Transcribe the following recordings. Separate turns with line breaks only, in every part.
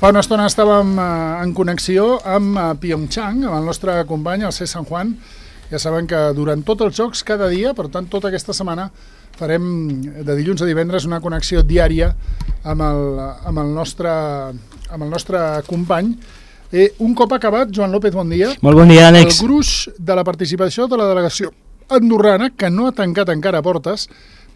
Fa una estona estàvem en connexió amb Pyeongchang, amb el nostre company, el C. San Juan. Ja saben que durant tots els jocs, cada dia, per tant, tota aquesta setmana, farem de dilluns a divendres una connexió diària amb el nostre company. Un cop acabat, Joan López, bon dia.
Molt bon dia, Àlex.
El gruix de la participació de la delegació andorrana, que no ha tancat encara portes,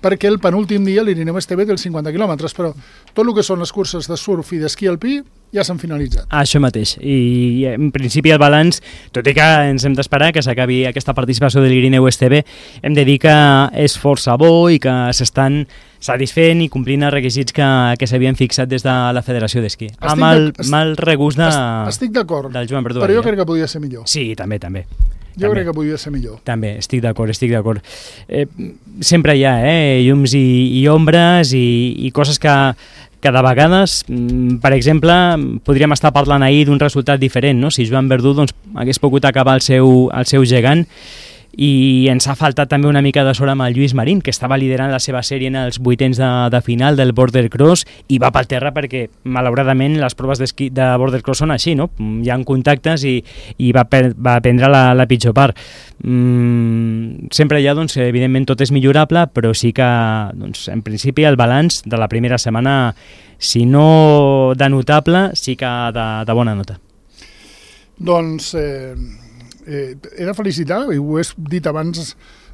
perquè el penúltim dia l'Irineu Esteve té els 50 quilòmetres, però tot el que són les curses de surf i d'esquí alpí ja s'han finalitzat.
Això mateix, i en principi el balanç, tot i que ens hem d'esperar que s'acabi aquesta participació de l'Irineu Esteve, hem de dir que és força bo i que s'estan satisfent i complint els requisits que s'havien fixat des de la Federació d'Esquí. Amb el mal regust
estic d'acord,
del Joan Verdú.
Però jo crec que podria ser millor.
Sí, també.
Jo crec que podria ser millor.
També, estic d'acord. Sempre hi ha llums i ombres i coses que de vegades, per exemple, podríem estar parlant ahir d'un resultat diferent, no? Si Joan Verdú hagués pogut acabar el seu gegant, i ens ha faltat també una mica de sort amb el Lluís Marín, que estava liderant la seva sèrie en els vuitens de final del Border Cross i va pel terra perquè, malauradament, les proves d'esquí de Border Cross són així, no? Hi ha contactes i va prendre la pitjor part. Sempre hi ha, evidentment, tot és millorable, però sí que, en principi, el balanç de la primera setmana, si no de notable, sí que de bona nota.
He de felicitar, i ho he dit abans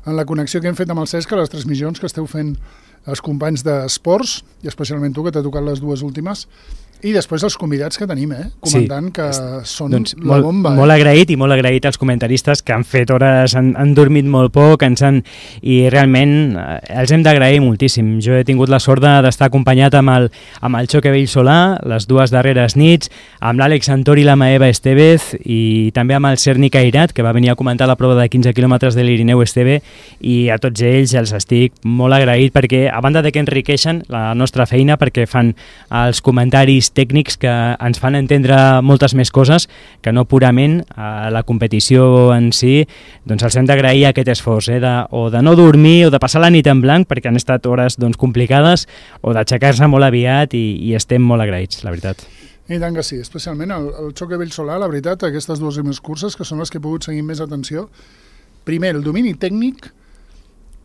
en la connexió que hem fet amb el Cesc, les transmissions que esteu fent els companys d'esports, i especialment tu, que t'ha tocat les dues últimes, i després els convidats que tenim, comentant, que són la bomba.
Molt agraït als comentaristes que han fet hores, han dormit molt poc, i realment els hem d'agrair moltíssim. Jo he tingut la sort d'estar acompanyat amb el Choque Bellsolà les dues darreres nits, amb l'Àlex Antor i la Maeva Estevez, i també amb el Serni Cairat, que va venir a comentar la prova de 15 quilòmetres de l'Irineu Esteve, i a tots ells els estic molt agraït perquè, a banda de que enriqueixen la nostra feina, perquè fan els comentaris tècnics que ens fan entendre moltes més coses que no purament a la competició en si, els hem d'agrair aquest esforç, o de no dormir o de passar la nit en blanc perquè han estat hores complicades, o d'aixecar-se molt aviat, i estem molt agraïts, la veritat.
I tant que sí, especialment el Choque Bellsolà, la veritat, aquestes dues primeres curses, que són les que he pogut seguir més atenció. Primer, el domini tècnic,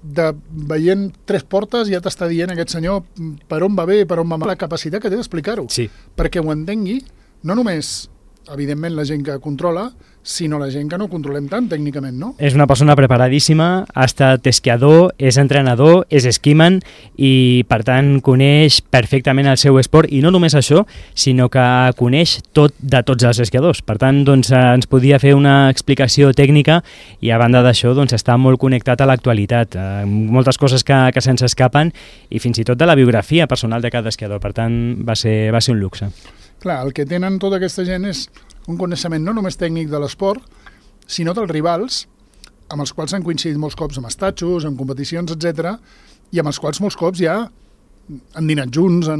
veient tres portes ja t'està dient aquest senyor per on va bé, per on va mal, la capacitat que té d'explicar-ho, perquè ho entengui, no només, evidentment, la gent que controla, sinó la gent que no controlem tant tècnicament, no? És
una persona preparadíssima, ha estat esquiador, és entrenador, és esquiman, i per tant coneix perfectament el seu esport, i no només això, sinó que coneix tot de tots els esquiadors. Per tant, ens podia fer una explicació tècnica, i a banda d'això està molt connectat a l'actualitat, moltes coses que se'ns escapen, i fins i tot de la biografia personal de cada esquiador. Per tant, va ser un luxe.
Clar, el que tenen tota aquesta gent és un coneixement no només tècnic de l'esport, sinó dels rivals, amb els quals han coincidit molts cops en estatxos, en competicions, etc., i amb els quals molts cops ja han dinat junts,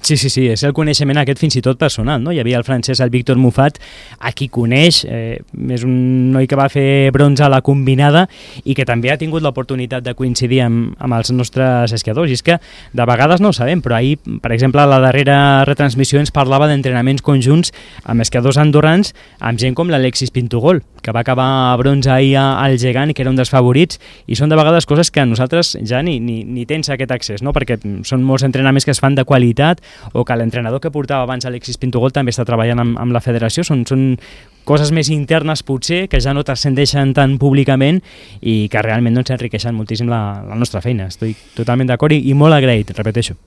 Sí, és el coneixement aquest fins i tot personal, no? Hi havia el francès, el Víctor Muffat, a qui coneix, és un noi que va fer bronze a la combinada i que també ha tingut l'oportunitat de coincidir amb els nostres esquiadors. I és que de vegades no ho sabem, però ahir, per exemple, a la darrera retransmissió ens parlava d'entrenaments conjunts amb esquiadors andorrans, amb gent com l'Alexis Pintugol, que va acabar a bronze ahir al gegant, que era un dels favorits, i són de vegades coses que nosaltres ja ni tens aquest accés, no? Perquè són molts entrenaments que es fan de qualitat, o que l'entrenador que portava abans Alexis Pintugol també està treballant amb la federació. Són coses més internes potser, que ja no t'ascendeixen tan públicament i que realment enriqueixen moltíssim la nostra feina. Estic totalment d'acord i molt agraït, repeteixo.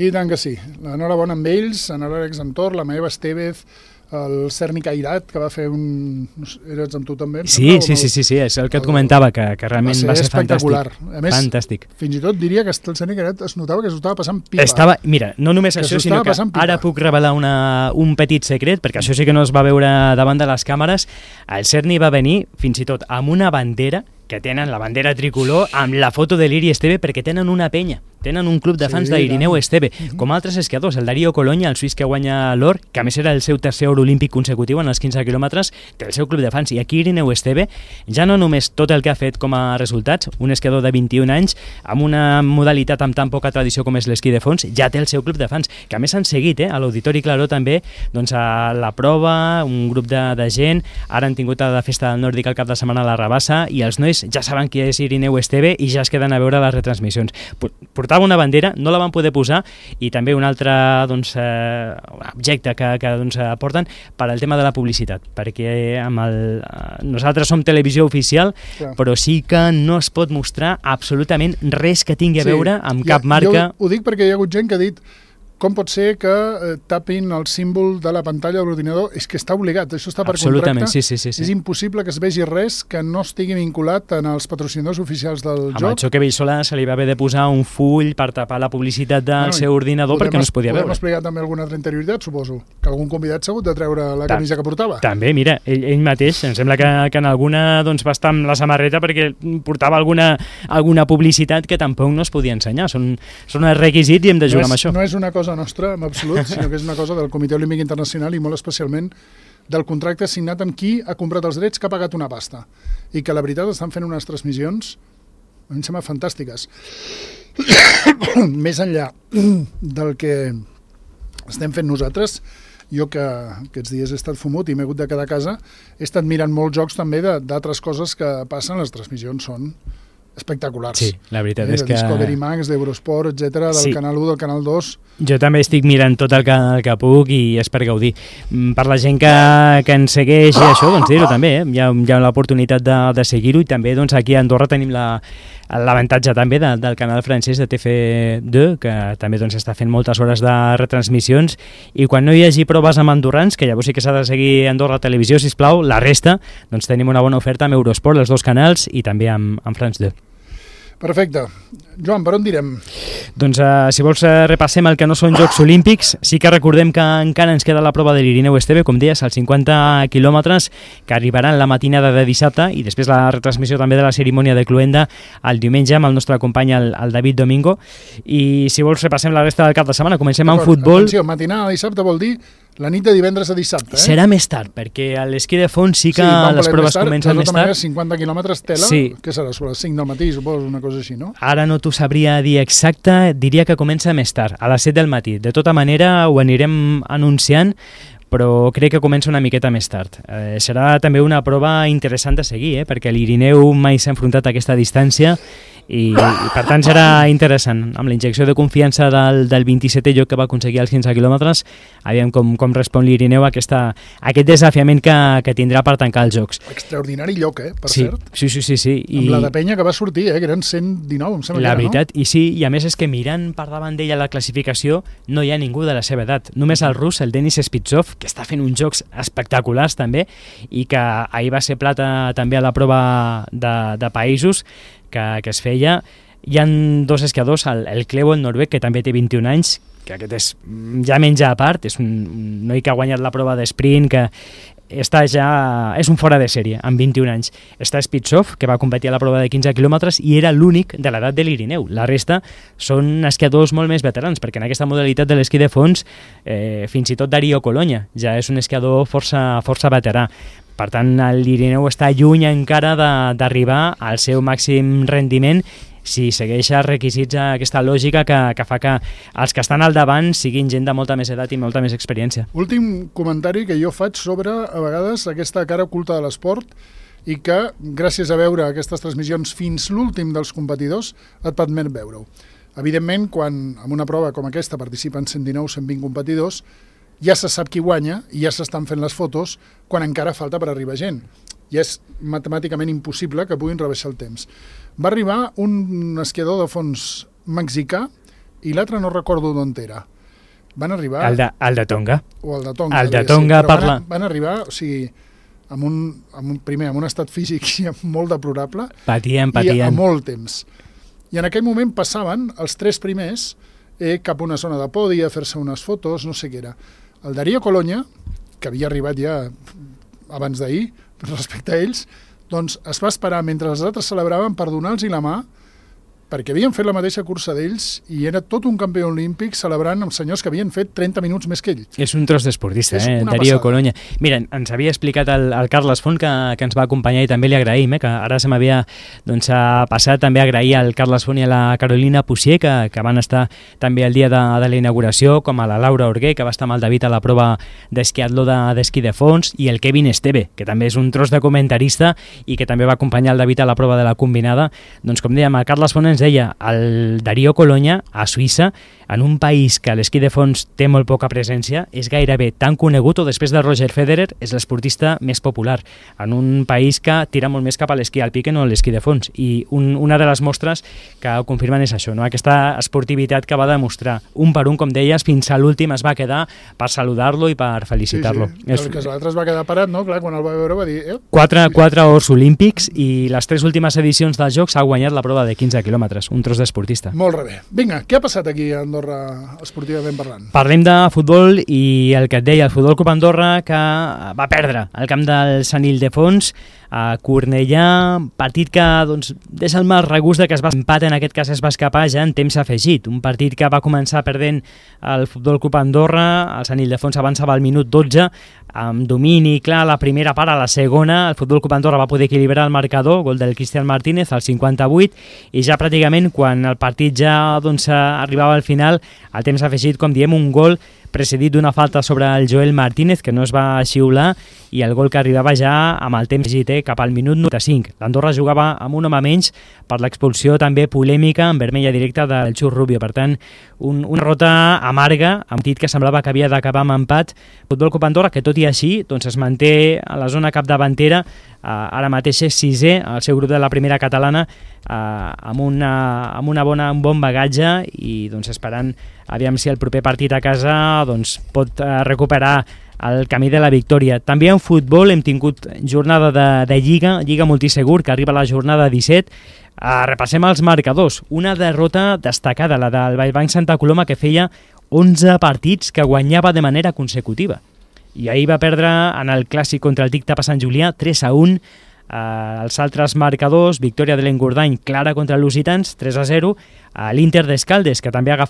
I tant que sí. L'enhorabona amb ells, en l'Àlex Antor, la Maeva Estevez, el Serni Cairat, que va fer eres amb tu també?
Sí, és el que et comentava, que realment va ser
espectacular. A més,
fantàstic.
Fins i tot diria que el Serni Cairat es notava que s'ho estava passant pipa.
Mira, no només això, sinó que ara puc revelar un petit secret, perquè això sí que no es va veure davant de les càmeres. El Serni va venir fins i tot amb una bandera, que tenen la bandera tricolor, amb la foto de l'Iri Esteve, perquè tenen una penya tenen un club de fans d'Irineu Esteve, com altres esquiadors, el Darío Colonia, el suís que guanya l'or, que a més era el seu tercer or olímpic consecutiu en els 15 quilòmetres, té el seu club de fans, i aquí Irineu Esteve ja no només tot el que ha fet com a resultats, un esquiador de 21 anys, amb una modalitat amb tan poca tradició com és l'esquí de fons, ja té el seu club de fans, que a més han seguit, a l'Auditori Claró també, doncs a la prova, un grup de gent, ara han tingut a la festa del Nòrdic el cap de setmana a la Rabassa, i els nois ja saben qui és Irineu Esteve i ja es queden a veure les retransmissions. Portava una bandera, no la van poder posar, i també un altre objecte que porten per al tema de la publicitat, perquè nosaltres som televisió oficial, però sí que no es pot mostrar absolutament res que tingui a veure amb cap marca.
Jo ho dic perquè hi ha hagut gent que ha dit com pot ser que tapin el símbol de la pantalla de l'ordinador? És que està obligat, això està per contracte.
Sí.
És impossible que es vegi res que no estigui vinculat en els patrocinadors oficials del joc.
Amb el Choque Vellsolà se li va haver de posar un full per tapar la publicitat del seu ordinador perquè no es podia veure.
Podem explicar també alguna altra interioritat, suposo? Que algun convidat s'ha hagut de treure la camisa que portava? També,
mira, ell mateix, em sembla que en alguna va estar amb la samarreta perquè portava alguna publicitat que tampoc no es podia ensenyar. Són els requisits i hem de jugar amb això.
No és una cosa nostra, en absolut, sinó que és una cosa del Comitè Olímpic Internacional i molt especialment del contracte signat amb qui ha comprat els drets, que ha pagat una pasta. I que la veritat estan fent unes transmissions, a mi em sembla fantàstiques. Més enllà del que estem fent nosaltres, jo que aquests dies he estat fumut i m'he hagut de quedar a casa, he estat mirant molts jocs també d'altres coses que passen, les transmissions són espectaculars.
Sí, la veritat és que...
Discovery Max, d'Eurosport, etc., del Canal 1, del Canal 2...
Jo també estic mirant tot el que puc i és per gaudir. Per la gent que ens segueix i això, doncs dir-ho també, hi ha l'oportunitat de seguir-ho, i també doncs, aquí a Andorra tenim l'avantatge també del canal francès de TF2, que també doncs, està fent moltes hores de retransmissions, i quan no hi hagi proves amb andorrans, que llavors sí que s'ha de seguir Andorra Televisió, sisplau, la resta, doncs tenim una bona oferta amb Eurosport, els dos canals, i també amb France 2.
Perfecte. Joan, per on direm?
Doncs si vols repassem el que no són Jocs Olímpics. Sí que recordem que encara ens queda la prova de l'Irineu Esteve, com deies, als 50 quilòmetres, que arribaran la matinada de dissabte, i després la retransmissió també de la cerimònia de cloenda el diumenge amb el nostre company, el David Domingo. I si vols repassem la resta del cap de setmana. Comencem amb futbol.
Atenció, matinada de dissabte vol dir la nit de divendres a dissabte.
Serà més tard, perquè a l'esquí de fons sí que les proves comencen més tard.
50 quilòmetres tela, què serà? Sobre les 5 del matí, suposo, una cosa així, no?
Ara no t'ho sabria dir exacte, diria que comença més tard, a les 7 del matí. De tota manera, ho anirem anunciant, però crec que comença una miqueta més tard. Serà també una prova interessant de seguir, perquè l'Irineu mai s'ha enfrontat a aquesta distància, i per tant serà interessant. Amb la injecció de confiança del 27è lloc que va aconseguir als 15 quilòmetres, aviam com respon l'Irineu a aquest desafiament que tindrà per tancar els Jocs.
Extraordinari lloc, per cert.
Sí.
Amb la de penya que va sortir, que eren 119, em sembla que era, no?
La veritat, i sí, i a més és que mirant per davant d'ella la classificació no hi ha ningú de la seva edat. Només el rus, el Denis Spitsov, que està fent uns jocs espectaculars també, i que ahir va ser plata també a la prova de països que es feia. Hi ha dos esquiadors, el Cleo, el noruec, que també té 21 anys, que aquest és ja menja a part, és un noi que ha guanyat la prova d'esprint, que és un fora de sèrie, amb 21 anys. Està Spitsov, que va competir a la prova de 15 quilòmetres i era l'únic de l'edat de l'Irineu. La resta són esquiadors molt més veterans, perquè en aquesta modalitat de l'esquí de fons, fins i tot Darío Colonia ja és un esquiador força veterà. Per tant, l'Irineu està lluny encara d'arribar al seu màxim rendiment si segueix els requisits, aquesta lògica que fa que els que estan al davant siguin gent de molta més edat i molta més experiència.
Últim comentari que jo faig sobre, a vegades, aquesta cara oculta de l'esport, i que, gràcies a veure aquestes transmissions fins l'últim dels competidors, et permet veure-ho. Evidentment, quan en una prova com aquesta participen 119-120 competidors, ja se sap qui guanya i ja s'estan fent les fotos quan encara falta per arribar gent. I és matemàticament impossible que puguin rebaixar el temps. Va arribar un esquiador de fons mexicà i l'altre no recordo d'on era. Van arribar...
El de Tonga.
O el de Tonga.
El de Tonga parla...
Van arribar, o sigui, amb un estat físic molt deplorable.
Patien.
I a molt temps. I en aquell moment passaven els 3 primers cap a una zona de podi a fer-se unes fotos, no sé què era. El Darío Colonia, que havia arribat ja abans d'ahir, respecte a ells, doncs es va esperar mentre els altres celebraven per donar-los la mà perquè havien fet la mateixa cursa d'ells i era tot un campió olímpic celebrant amb senyors que havien fet 30 minuts més que ell.
És un tros d'esportista, Darío Coloña. Mira, ens havia explicat el Carles Font, que ens va acompanyar, i també li agraïm, que ara se m'havia passat també agrair al Carles Font i a la Carolina Pucier, que van estar també el dia de la inauguració, com a la Laura Orguer, que va estar amb el David a la prova d'esquiatló d'esquí de fons, i el Kevin Esteve, que també és un tros de comentarista i que també va acompanyar el David a la prova de la combinada. Doncs com dèiem, el Carles Font ens deia, el Darío Coloña a Suïssa, en un país que l'esquí de fons té molt poca presència, és gairebé tan conegut, o després de Roger Federer és l'esportista més popular, en un país que tira molt més cap a l'esquí alpí que no a l'esquí de fons, i una de les mostres que ho confirmen és això, no? Aquesta esportivitat que va demostrar un per un, com deies, fins a l'últim es va quedar per saludar-lo i per felicitar-lo.
Sí. El que l'altre es va quedar parat, no? Clar, quan el va veure va dir...
Quatre ors olímpics, i les 3 últimes edicions dels Jocs ha guanyat la prova de 15 quilòmetres, un tros d'esportista.
Molt bé. Vinga, què ha passat aquí a Andorra esportivament parlant?
Parlem de futbol i el que et deia, el Futbol Club Andorra, que va perdre al camp del Sant Ildefons a Cornellà, partit que des del mal regust de que es va empat, en aquest cas es va escapar ja en temps afegit, un partit que va començar perdent el Futbol Club Andorra, el Sant Ildefons avançava al minut 12, amb domini clar a la primera part. A la segona el Futbol Club Andorra va poder equilibrar el marcador, gol del Cristian Martínez al 58, i ja pràcticament quan el partit ja arribava al final, al temps afegit, com diem, un gol precedit d'una falta sobre el Joel Martínez, que no es va xiular, i el gol que arribava ja amb el temps afegit, cap al minut 95. L'Andorra jugava amb un home menys per l'expulsió també polèmica en vermella directa del Xus Rubio. Per tant, una derrota amarga, amb un partit que semblava que havia d'acabar amb empat. Futbol Club Andorra, que tot i així es manté a la zona capdavantera, ara mateix és 6è al seu grup de la primera catalana, amb un bon bagatge, i esperant aviam si el proper partit a casa pot recuperar el camí de la victòria. També en futbol hem tingut jornada de Lliga Multisegur, que arriba a la jornada 17. Repassem els marcadors. Una derrota destacada, la del Vallbanc Santa Coloma, que feia 11 partits que guanyava de manera consecutiva. I ahir va perdre en el clàssic contra el Tic-Tap a Sant Julià 3-1. Els altres marcadors: victòria de l'Engordany clara contra els Lusitans 3-0, l'Inter d'Escaldes, que també ha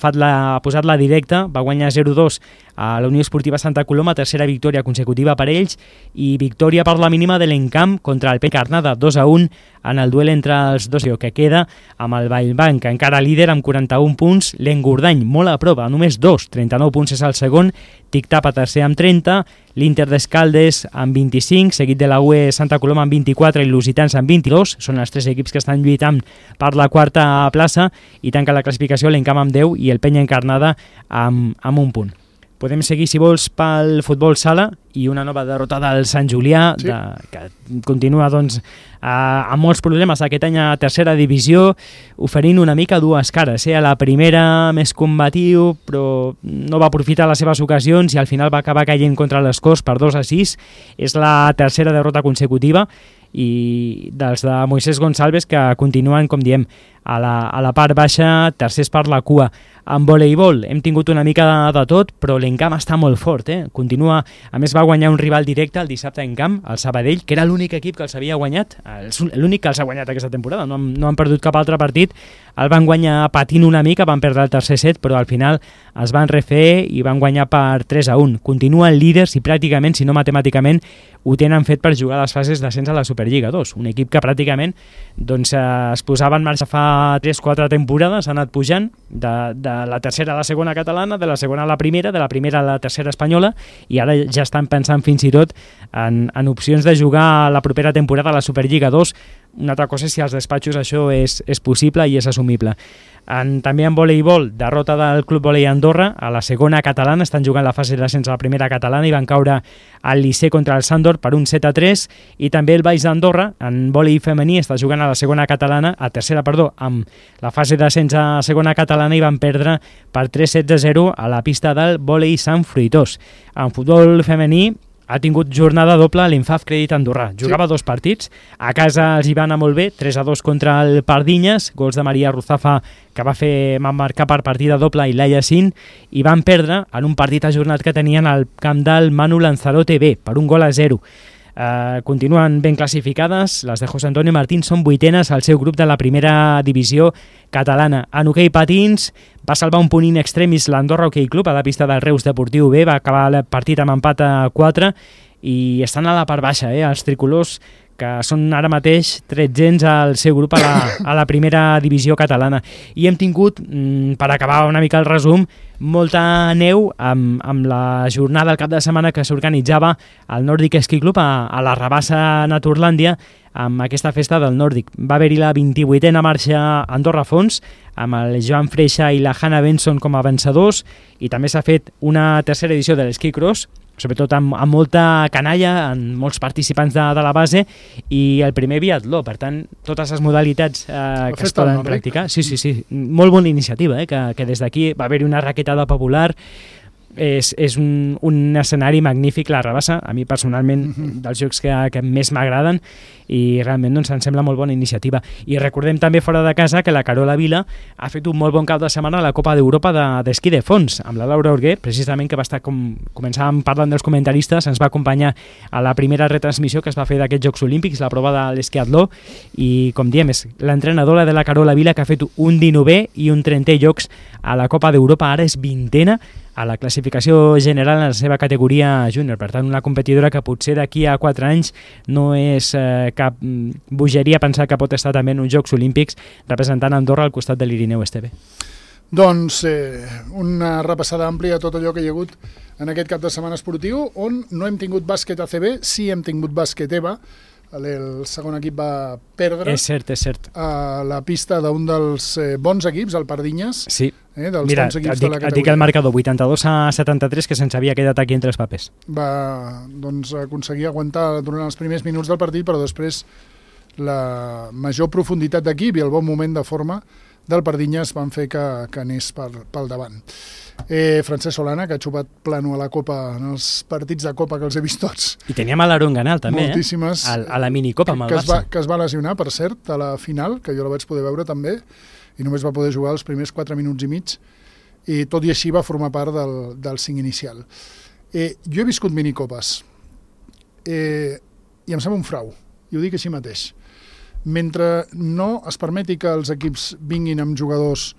posat la directa, va guanyar 0-2 a la Unió Esportiva Santa Coloma, tercera victòria consecutiva per ells, i victòria per la mínima de l'Encamp contra el Pecarnada 2-1 en el duel entre els dos, que queda amb el Vallbanc encara líder amb 41 punts, l'Engordany molt a prop, a només 39 punts és el segon, Tic-Tap a tercer amb 30, l'Inter d'Escaldes amb 25, seguit de la UE Santa Coloma amb 24 i Lusitans amb 22, són els 3 equips que estan lluitant per la quarta plaça, i tanca la classificació l'Encamp amb 10 i el Penya Encarnada amb un punt. Podem seguir, si vols, pel futbol sala, i una nova derrota del Sant Julià, sí, que continua amb molts problemes aquest any a tercera divisió, oferint una mica dues cares. A la primera més combatiu, però no va aprofitar les seves ocasions i al final va acabar caient contra les Corts per 2-6. És la tercera derrota consecutiva, i dels de Moisés Gonçalves, que continuen, com diem, a la part baixa, tercers per la cua. En voleibol hem tingut una mica de tot, però l'Encamp està molt fort, continua. A més, va guanyar un rival directe el dissabte en camp, el Sabadell, que era l'únic equip que els havia guanyat, l'únic que els ha guanyat aquesta temporada, no han perdut cap altre partit. El van guanyar patint una mica, van perdre el tercer set, però al final es van refer i van guanyar per 3-1. Continuen líders i pràcticament, si no matemàticament, ho tenen fet per jugar a les fases d'ascens a la Superliga 2. Un equip que pràcticament es posava en marxa fa 3-4 temporades, ha anat pujant de la tercera a la segona catalana, de la segona a la primera, de la primera a la tercera espanyola, i ara ja estan pensant fins i tot en opcions de jugar la propera temporada a la Superliga 2. Una altra cosa és si als despatxos això és possible i és assumible. També en voleibol, derrota del Club Volei Andorra a la segona catalana, estan jugant la fase d'ascens a la primera catalana i van caure al Licey contra el Sandor per un 7-3, i també el Baix d'Andorra en volei femení està jugant a la segona catalana, amb la fase d'ascens a segona catalana, i van perdre per 3-0 a la pista del Volei Sant Fruitós. En futbol femení ha tingut jornada doble l'Infaf Crèdit Andorrà. Jugava 2 partits, a casa els hi va anar molt bé, 3-2 contra el Pardinyes, gols de Maria Ruzafa, que va marcar per partida doble, i Laia Sin, i van perdre en un partit ajornat que tenien al camp del Manu Lanzarote B, per un gol a 0. Continuen ben classificades, les de José Antonio Martín són 8enes al seu grup de la primera divisió catalana. En hoquei patins va salvar un punt in extremis l'Andorra Hockey Club a la pista del Reus Deportiu B, va acabar el partit amb empat a 4 i estan a la part baixa, els tricolors, que són ara mateix 13ens al seu grup a la primera divisió catalana. I hem tingut, per acabar una mica el resum, molta neu amb la jornada del cap de setmana que s'organitzava al Nordic Ski Club a la Rabassa Naturlàndia amb aquesta festa del Nòrdic. Va haver-hi la 28a marxa Andorra Fons, amb el Joan Freixa i la Hannah Benson com a vencedors, i també s'ha fet una tercera edició de l'Ski Cross, sobretot amb molta canalla, amb molts participants de la base, i el primer biatló, per tant, totes les modalitats que es poden practicar. Sí, molt bona iniciativa, que des d'aquí va haver-hi una raquetada popular. És un escenari magnífic, la Rabassa, a mi personalment dels jocs que més m'agraden, i realment doncs, em sembla molt bona iniciativa. I recordem també fora de casa que la Carola Vila ha fet un molt bon cap de setmana a la Copa d'Europa d'esquí de fons, amb la Laura Orguer, precisament, que va estar, com començàvem parlant dels comentaristes, ens va acompanyar a la primera retransmissió que es va fer d'aquests Jocs Olímpics, la prova de l'esquiatló, i com diem, és l'entrenadora de la Carola Vila que ha fet un 19è i un 30è llocs a la Copa d'Europa, ara és 20a a la classificació general en la seva categoria júnior. Per tant, una competidora que potser d'aquí a 4 anys no és cap bogeria pensar que pot estar també en uns Jocs Olímpics representant Andorra al costat de l'Irineu Esteve.
Doncs una repassada àmplia a tot allò que hi ha hagut en aquest cap de setmana esportiu, on no hem tingut bàsquet ACB, sí hem tingut bàsquet EVA. El segon equip va perdre.
És cert.
A la pista d'un dels bons equips, el Pardinyes.
Sí.
Dels
Mira,
bons equips de la categoria.
et dic el marcador, 82-73, que se'ns havia quedat aquí entre els papers.
Va aconseguir aguantar durant els primers minuts del partit, però després la major profunditat d'equip i el bon moment de forma del Pardinyes van fer que anés pel davant. Francesc Solana, que ha xupat plano a la Copa, en els partits de Copa que els he vist tots.
I teníem a l'Aaron Ganal també,
moltíssimes,
a la minicopa amb el Barça.
Que es va lesionar, per cert, a la final, que jo la vaig poder veure també, i només va poder jugar els primers 4 minuts i mig, i tot i així va formar part del 5 inicial. Jo he viscut minicopes, i em sembla un frau, i ho dic així mateix. Mentre no es permeti que els equips vinguin amb jugadors,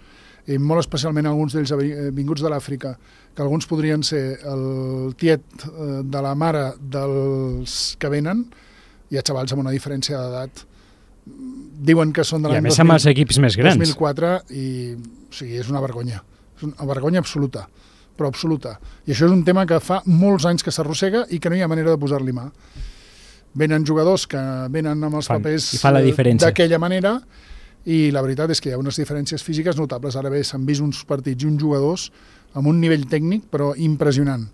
molt especialment alguns d'ells vinguts de l'Àfrica, que alguns podrien ser el tiet de la mare dels que venen, hi ha xavals amb una diferència d'edat, diuen que són de l'any
2004,
i o sigui, és una vergonya. És una vergonya absoluta, però absoluta. I això és un tema que fa molts anys que s'arrossega i que no hi ha manera de posar-li mà. Venen jugadors que venen amb els papers d'aquella manera, i la veritat és que hi ha unes diferències físiques notables. Ara bé, s'han vist uns partits i uns jugadors amb un nivell tècnic però impressionant,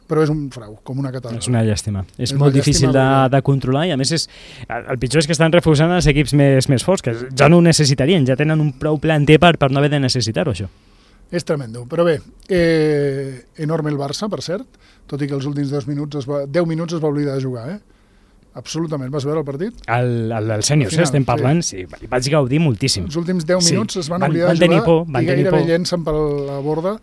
però és un frau, com una catedral.
És una llàstima, és molt difícil de controlar, i a més el pitjor és que estan refusant els equips més forts, que ja no ho necessitarien, ja tenen un prou planter per no haver de necessitar-ho, això.
És tremendo, però bé, enorme el Barça, per cert, tot i que els últims 10 minuts es va oblidar de jugar, absolutament. Vas veure el partit?
El sèniors, estem parlant, sí, vaig gaudir moltíssim.
Els últims 10 minuts es van oblidar de jugar i gairebé llencen per la borda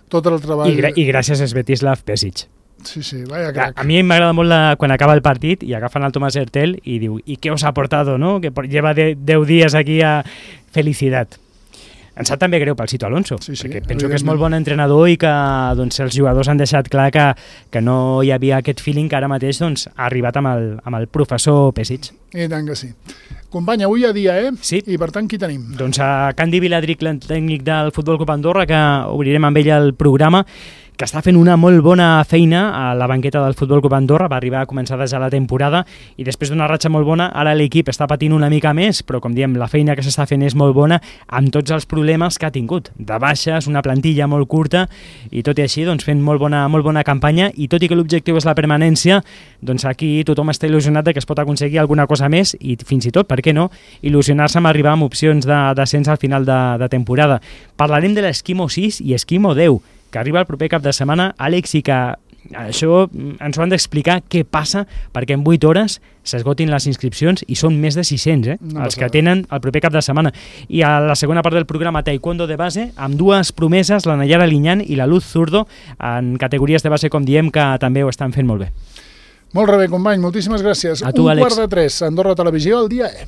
tot el treball.
I gràcies a Svetislav Pesic.
Sí, vaya crack.
A mi m'agrada molt quan acaba el partit i agafen el Tomàs Hertel i diu, ¿y qué os ha aportado, no? Que lleva 10 días aquí a felicidad. Em sap també greu pel Sito Alonso, perquè penso que és molt bon entrenador i que els jugadors han deixat clar que no hi havia aquest feeling que ara mateix ha arribat amb el professor Pesic.
I tant que sí. Company, avui hi ha dia,
Sí.
I per tant, qui tenim?
Doncs a Candy Viladric, tècnic del Futbol Club Andorra, que obrirem amb ell el programa, que està fent una molt bona feina a la banqueta del Futbol Club Andorra, va arribar a començar ja la temporada i després d'una ratxa molt bona, ara l'equip està patint una mica més, però com diem, la feina que s'està fent és molt bona, amb tots els problemes que ha tingut, de baixes, una plantilla molt curta, i tot i així fent molt bona campanya, i tot i que l'objectiu és la permanència, doncs aquí tothom està il·lusionat de que es pot aconseguir alguna cosa més, i fins i tot, per què no, il·lusionar-se amb arribar amb opcions d'ascens al final de temporada. Parlarem de l'Esquimo 6 i Esquimo 10, que arriba el proper cap de setmana, Àlex, i que això ens ho han d'explicar què passa perquè en 8 hores s'esgotin les inscripcions i són més de 600, els que tenen el proper cap de setmana. I a la segona part del programa, taekwondo de base, amb 2 promeses, la Nayara Liñán i la Luz Zurdo, en categories de base, com diem, que també ho estan fent molt bé.
Molt bé, company, moltíssimes gràcies.
A tu, Àlex.
2:15, Andorra Televisió, al dia E.